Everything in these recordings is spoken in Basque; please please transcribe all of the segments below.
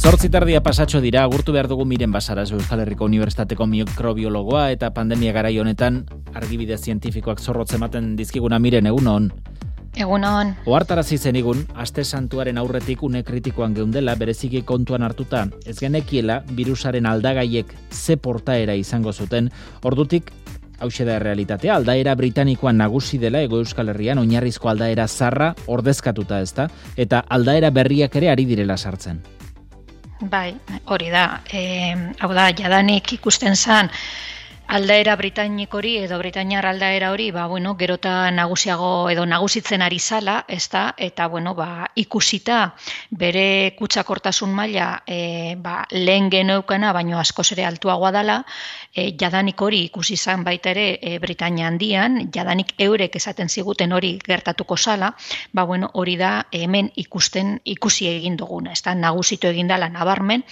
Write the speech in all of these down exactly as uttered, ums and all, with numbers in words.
Zortzi tardia pasatxo dira, agurtu behar dugu Miren Basaras, Euskal Herriko Unibertsitateko mikrobiologoa eta pandemia garai honetan argibide zientifikoak zorrotz ematen dizkiguna. Miren, egun on. Egun on. Ohartarazi zenigun, aste santuaren aurretik une kritikoan geundela, bereziki kontuan hartuta, ez genekiela virusaren aldagaiek ze portaera izango zuten, ordutik hauxe da realitatea, aldaera britanikoan nagusi dela Hego Euskal Herrian, oinarrizko aldaera zarra ordezkatuta ezta, eta aldaera berriak ere ari direla sartzen. Bai, hori da. E, hau da, jadanik ikusten zan aldaera britanikori edo britainiar aldaera hori, ba, bueno, gerota nagusiago edo nagusitzen ari zala, ezta, eta bueno, ba, ikusita bere kutsakortasun maila e, ba, lehen geneukana, baino askoz ere altuagoa dela, e, jadanik hori ikusi zan baita ere e, Britainia handian, jadanik eurek esaten ziguten hori gertatuko zala, ba, bueno, hori da hemen ikusten ikusi egin duguna, ezta, nagusitu egin dela nabarmen,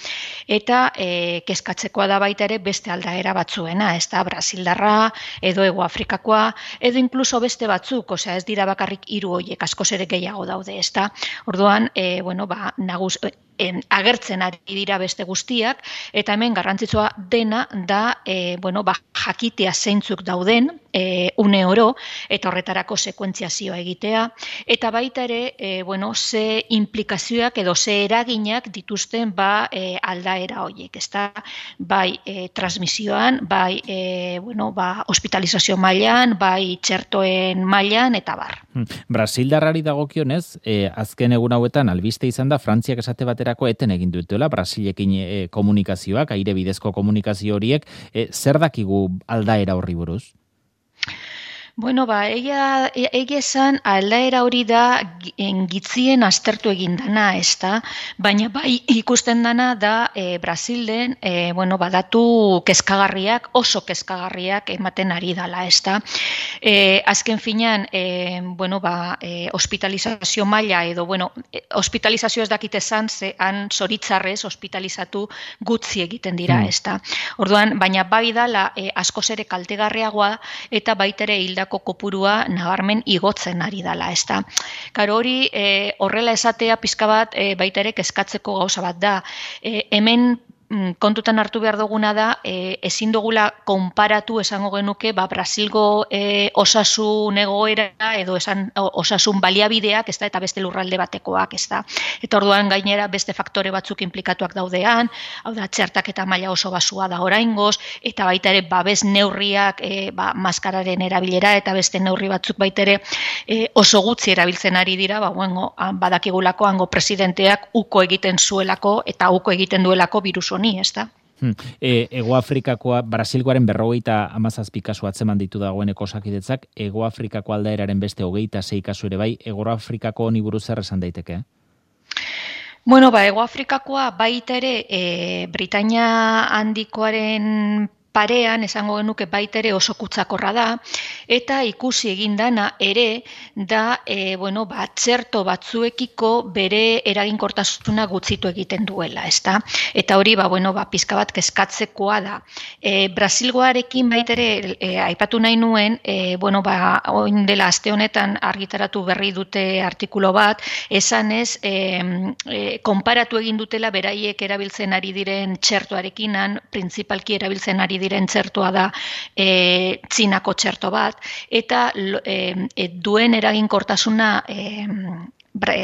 eta e, kezkatzekoa da baita ere beste aldaera batzuena, ez da, Brasildarra, edo Hego Afrikakoa, edo inkluso beste batzuk, osea, ez dira bakarrik hiru horiek, askoz ere gehiago daude, ez da. Orduan, e, bueno, ba, nagus, en, agertzen ari dira beste guztiak, eta hemen garrantzitsua dena da, e, bueno, ba, jakitea zeintzuk dauden, e, une oro, eta horretarako sekuentziazioa egitea, eta baita ere, e, bueno, ze implikazioak edo ze eraginak dituzten ba, e, aldaera horiek, ez da, bai e, transmisioan, bai e, bueno, ba, hospitalizazio mailan, bai txertoen mailan, eta bar. Brasildarrari dagokionez, e, azken egun hauetan albiste izan da Frantziak esate baterako eten egin dutuela Brasilekin e, komunikazioak, aire bidezko komunikazio horiek, e, zer dakigu aldaera horri buruz? Bueno, ba, egia, egia esan aldaera hori da gitzien aztertu egin dana, ez da, baina bai ikusten dana da e, Brasilden, e, bueno, badatu kezkagarriak, oso kezkagarriak ematen ari dala, ez da. E, azken finean, e, bueno, ba, e, hospitalizazio maila edo, bueno, e, hospitalizazio ez dakite zan, ze han zoritzarrez hospitalizatu gutzi egiten dira, mm. ez da. Orduan, baina bai dala e, askoz ere kaltegarriagoa eta baita ere hildako kopurua nabarmen igotzen ari dela, ez da. Karo hori e, horrela esatea pizka bat e, baita ere kezkatzeko gauza bat da. E, hemen kontutan hartu behar duguna da, e, ezin dugula konparatu esango genuke, ba, Brasilgo e, osasun egoera edo esan osasun baliabideak, ez da, eta beste lurralde batekoak, ez da. Eta orduan gainera beste faktore batzuk implikatuak daudean, hau da, txertaketa maila oso basua da oraingoz, eta baita ere babes neurriak, e, ba, maskararen erabilera, eta beste neurri batzuk baita ere e, oso gutxi erabiltzen ari dira, ba, bueno, badakigulako hango presidenteak uko egiten zuelako, eta uko egiten duelako virus ni, ez da? Hmm. E, Ego Afrikakoa, Brasilgoaren berrogeita hamazazpi kasu atzeman ditu dagoeneko osakidetzak, Ego Afrikako aldaeraren beste hogeita sei kasu ere bai, Ego Afrikako honi buruz zer esan daiteke? Bueno, ba, Ego Afrikakoa baita ere e, Britainia handikoaren parean, esango genuke baita ere oso kutsakorra da, eta ikusi egin dana ere da, e, bueno, ba, txerto batzuekiko bere eraginkortasuna gutxitu egiten duela, ezta? Eta hori, ba, bueno, ba, pizka bat kezkatzekoa da. E, Brasilgoarekin baita ere, e, aipatu nahi nuen, e, bueno, ba, oin dela aste honetan argitaratu berri dute artikulo bat, esan ez, e, e, konparatu egin dutela beraiek erabiltzen ari diren txertoarekinan, printzipalki erabiltzen ari diren txertoa da e, Txinako txerto bat, eta e, e, duen eraginkortasuna e, bre,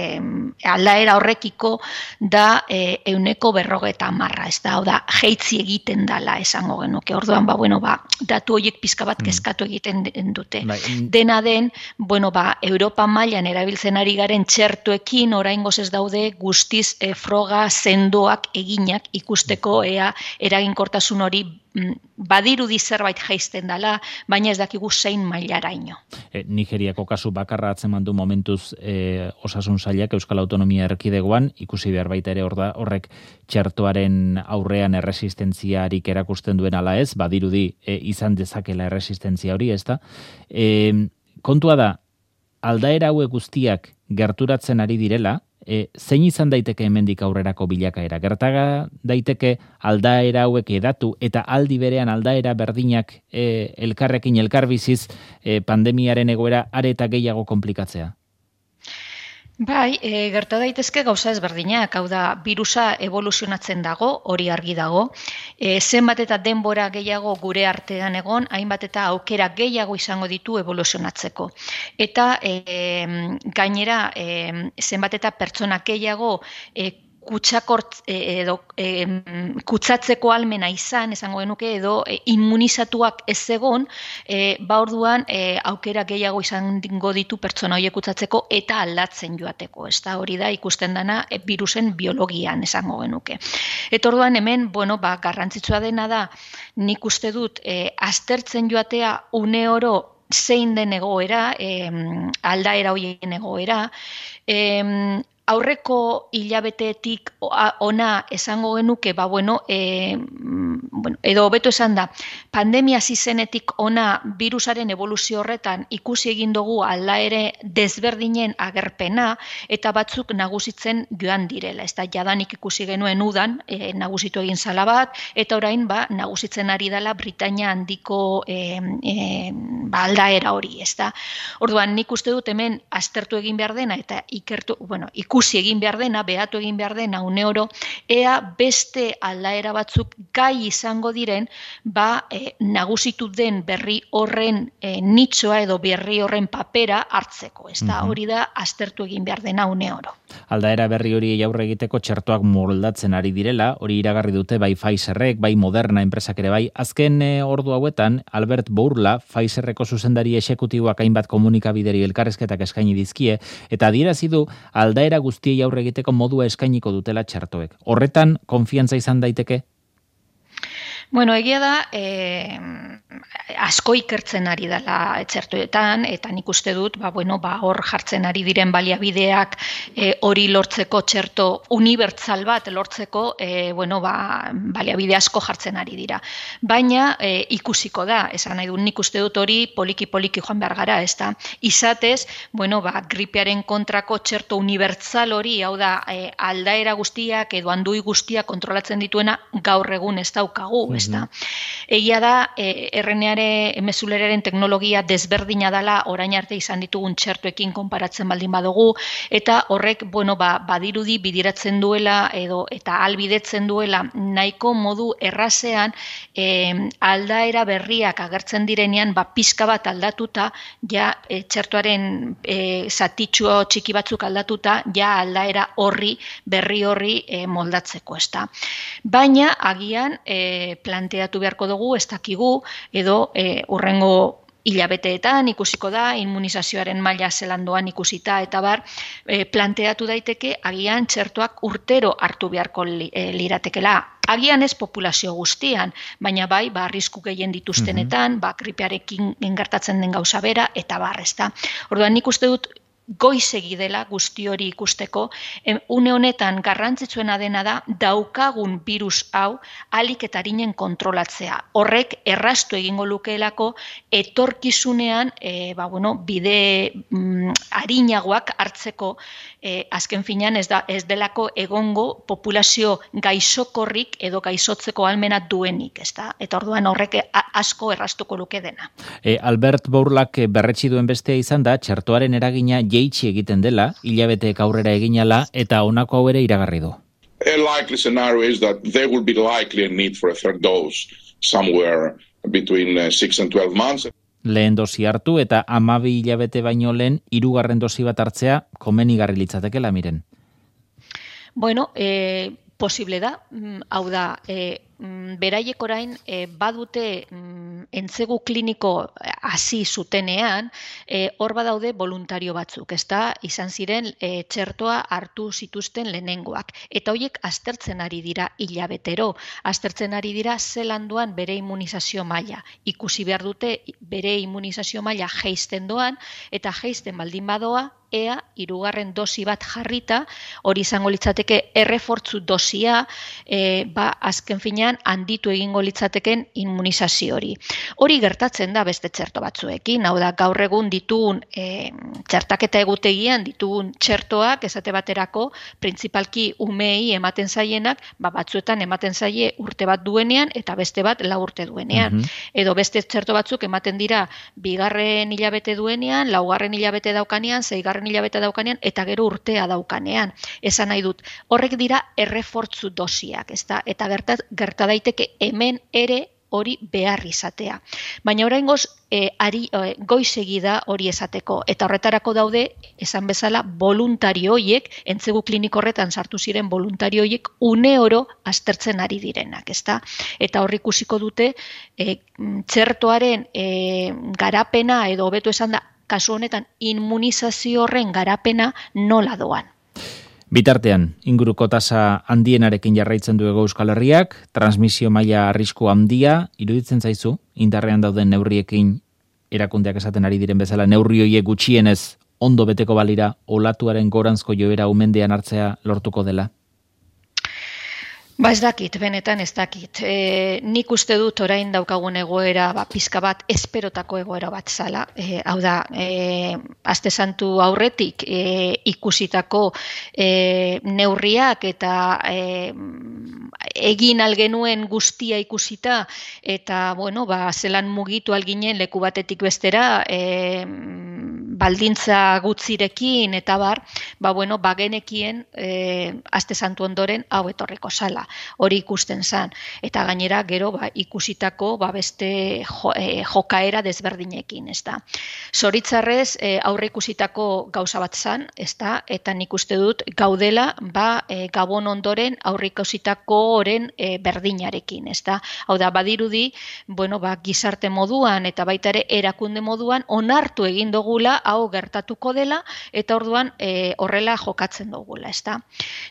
aldaera horrekiko da e, euneko berrogeta marra, ez da, hau da, jeitzi egiten dala esango genuke. Orduan, ba, bueno, ba, datu horiek pizka bat kezkatu egiten dute. Mm. Dena den, bueno, ba, Europa mailan erabiltzen ari garen txertoekin oraingoz ez daude guztiz e, froga sendoak eginak ikusteko ea eraginkortasun hori badirudi zerbait jaisten dela, baina ez dakigu zein mailaraino. E, Nigeriako kasu bakarra atzeman du momentuz e, osasun sailak Euskal Autonomia Erkidegoan, ikusi behar baita ere orda, horrek txertoaren aurrean erresistentziarik erakusten duen ala ez, badirudi e, izan dezakela erresistentzia hori, ez da. E, kontua da, aldaera hauek guztiak gerturatzen ari direla, E, zein izan daiteke hemendik aurrerako bilakaera? Gertaga daiteke aldaera hauek edatu eta aldi berean aldaera berdinak e, elkarrekin elkarbiziz e, pandemiaren egoera are eta gehiago komplikatzea? Bai, e, gerta daitezke gauza ezberdinak, hau da, birusa evoluzionatzen dago, hori argi dago, e, zenbat eta denbora gehiago gure artean egon, hainbat eta aukera gehiago izango ditu evoluzionatzeko. Eta e, gainera, e, zenbat eta pertsona gehiago e, kutsakort edo e, kutsatzeko almena izan, esango genuke, edo e, immunizatuak ez egon, e, ba orduan e, aukera gehiago izango ditu pertsona horiek kutsatzeko eta aldatzen joateko. Ez da hori da ikusten dana e, virusen biologian esango genuke. Eta orduan hemen, bueno, ba, garrantzitsua dena da, nik uste dut e, aztertzen joatea une oro zein den egoera, e, aldaera horien egoera, e, aurreko hilabeteetik ona esango genuke, ba bueno, e, bueno, edo hobeto esan da, pandemia zizenetik ona virusaren evoluzio horretan ikusi egin dugu aldaere desberdinen agerpena eta batzuk nagusitzen joan direla. Ez da, jadanik ikusi genuen udan, e, nagusitu egin zala bat, eta orain ba, nagusitzen ari dela Britainia handiko e, e, ba, aldaera hori, ez da. Orduan, nik uste dut hemen aztertu egin behar dena eta ikertu, bueno, ikusi ikusi egin behar dena, behatu egin behar dena une oro, ea beste aldaera batzuk gai izango diren, ba e, nagusitu den berri horren e, nitxoa edo berri horren papera hartzeko. Ez da, hori da aztertu egin behar dena une oro. Aldaera berri hori aurre egiteko txertoak moldatzen ari direla, hori iragarri dute bai Pfizerrek, bai Moderna enpresak ere bai. Azken e, ordu hauetan, Albert Bourla, Pfizerreko zuzendari exekutiboak hainbat komunikabideri elkarrezketak eskaini dizkie, eta adierazi du aldaera guztiei aurre egiteko modua eskainiko dutela txertoek. Horretan, konfiantza izan daiteke? Bueno, egia da, eh, asko ikertzen ari dela txertoetan, eta nik uste dut, ba, bueno, ba, hor jartzen ari diren baliabideak eh, hori lortzeko txerto unibertsal bat lortzeko, eh, bueno, ba, baliabide asko jartzen ari dira. Baina eh, ikusiko da, esan nahi du, nik uste dut hori poliki-poliki joan behar gara, ez da. Izatez, bueno, ba, gripearen kontrako txerto unibertsal hori, hau da, eh, aldaera guztiak edo andui guztiak kontrolatzen dituena gaur egun ez daukagu, ez da. Egia da, e, R N A mezuleraren teknologia desberdina dela orain arte izan ditugun txertoekin konparatzen baldin badugu, eta horrek, bueno, ba, badirudi bidiratzen duela edo eta albidetzen duela nahiko modu errazean e, aldaera berriak agertzen direnean, ba, pizka bat aldatuta, ja e, txertoaren e, zatitxo txiki batzuk aldatuta, ja aldaera horri, berri horri e, moldatzeko, ez da. Baina, agian, e, planteatu beharko dugu, ez dakigu, edo e, urrengo hilabeteetan ikusiko da, immunizazioaren maila zelandoan ikusita, eta bar, e, planteatu daiteke, agian txertoak urtero hartu beharko li, e, liratekela. Agian ez populazio guztian, baina bai, ba, arrisku gehien dituztenetan, ba, gripearekin gertatzen den gauza bera, eta bar, ez da. Orduan, nik uste dut, goizegi dela guzti hori ikusteko, une honetan garrantzitsuena dena da daukagun virus hau alik eta arinen kontrolatzea. Horrek erraztu egingo lukeelako etorkizunean e, ba, bueno, bide mm, arinagoak hartzeko e, azken finean ez, da, ez delako egongo populazio gaixokorrik edo gaixotzeko almena duenik, ez da? Eta orduan horrek asko erraztuko luke dena. E, Albert Bourlak berretsi duen bestea izan da, txertoaren eragina jeitsi egiten dela, hilabeteek aurrera eginala, eta honako hau ere iragarri du. A likely scenario is that there will be likely a need for a third dose somewhere between uh, six and twelve months. Lehen dosi hartu eta hamabi hilabete baino lehen hirugarren dosi bat hartzea komenigarri litzatekeela Miren. Bueno, eh, posible da, hau da, eh, beraiek orain e, badute mm, entzegu kliniko hasi zutenean, e, hor badaude voluntario batzuk, ezta izan ziren e, txertoa hartu zituzten lehenengoak. Eta horiek aztertzen ari dira hilabetero, aztertzen ari dira zelanduan bere immunizazio maila. Ikusi behar dute bere immunizazio maila jeisten doan, eta jeisten baldin badoa, ea hirugarren dosi bat jarrita, hori izango litzateke errefortzu dosia, e, ba, azken finean handitu egingo litzateken immunizazio hori. Hori gertatzen da beste txerto batzuekin, hau da gaur egun ditugun e, txertaketa egutegian ditugun txertoak esate baterako printzipalki umei ematen zaienak, ba, batzuetan ematen zaie urte bat duenean eta beste bat lau urte duenean. Mm-hmm. Edo beste txerto batzuk ematen dira bigarren hilabete duenean, laugarren hilabete daukanean, zeigarren hirugarren hilabete daukanean, eta gero urtea daukanean. Esan nahi dut, horrek dira errefortzu dosiak, ezta? Eta gerta, gerta daiteke hemen ere hori behar izatea. Baina oraingoz e, ari, e, goizegi da hori esateko, eta horretarako daude, esan bezala, voluntario hoiek, entzegu kliniko horretan sartu ziren voluntario hoiek, une oro aztertzen ari direnak, ezta? Eta hor ikusiko dute, e, txertoaren e, garapena, edo hobeto esan da, kasu honetan, immunizazio horren garapena nola doan. Bitartean, inguruko tasa handienarekin jarraitzen du Hego Euskal Herriak, transmisio maila arrisku handia, iruditzen zaizu, indarrean dauden neurriekin erakundeak esaten ari diren bezala, neurri horiek gutxienez ondo beteko balira, olatuaren goranzko joera umendean hartzea lortuko dela? Ba ez dakit, benetan ez dakit. E, nik uste dut orain daukagun egoera, ba, pizka bat, esperotako egoera bat zala. E, hau da, e, aste santu aurretik e, ikusitako e, neurriak eta e, egin algenuen guztia ikusita, eta, bueno, ba, zelan mugitu alginen leku batetik bestera, e, baldintza gutzirekin, eta bar, ba, bueno, bagenekien e, aste santu ondoren hau etorriko zala. Hori ikusten zan. Eta gainera, gero, ba, ikusitako ba, beste jo, e, jokaera desberdinekin, ez da. Zoritzarrez, e, aurre ikusitako gauza bat zan, ez da, eta nik uste dut gaudela, ba, e, gabon ondoren aurre ikusitako oren e, berdinarekin, ez da. Hau da, badirudi, bueno, ba, gizarte moduan, eta baita ere erakunde moduan, onartu egin dugula, hau gertatuko dela, eta orduan e, horrela jokatzen dugula, ez da.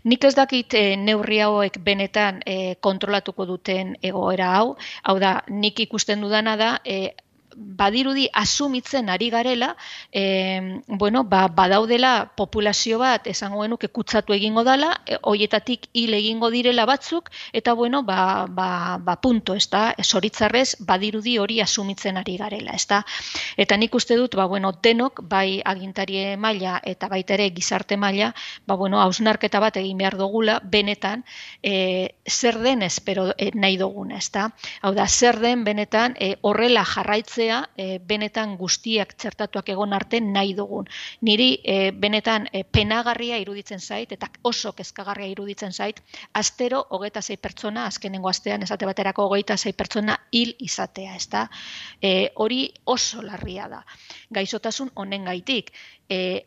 Nik ez dakit e, neurri hauek benetan E, kontrolatuko duten egoera hau, hau da, nik ikusten dudana da, e, badirudi asumitzen ari garela, e, bueno, ba, badaudela populazio bat, esango genuke kutsatu egingo dela, e, hoietatik hil egingo direla batzuk, eta bueno, ba, ba, ba punto, ez da, zoritzarrez, badirudi hori asumitzen ari garela, ez da. Eta nik uste dut, ba, bueno, denok, bai agintarie maila eta baita ere gizarte maila, ba, bueno, hausnarketa bat egin behar dugula, benetan, e, zer den espero e, nahi duguna, ez da. Hau da, zer den benetan, e, horrela jarraitzea, E, benetan guztiak txertatuak egon arte nahi dugun. Niri e, benetan e, penagarria iruditzen zait, eta oso kezkagarria iruditzen zait, astero hogeita sei pertsona, azkenengo astean esate baterako hogeita sei pertsona hil izatea, ez da? E, hori oso larria da. Gaixotasun honen gaitik. E,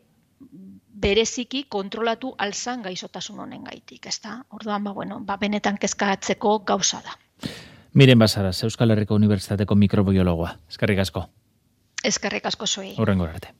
bereziki kontrolatu alzan gaixotasun honen gaitik, ez da? Orduan, ba, bueno, ba, benetan kezkatzeko gauza da. Miren Basaras, Euskal Herriko Unibertsitateko mikrobiologoa. Eskerrik asko. Eskerrik asko zuei. Hurrengo arte.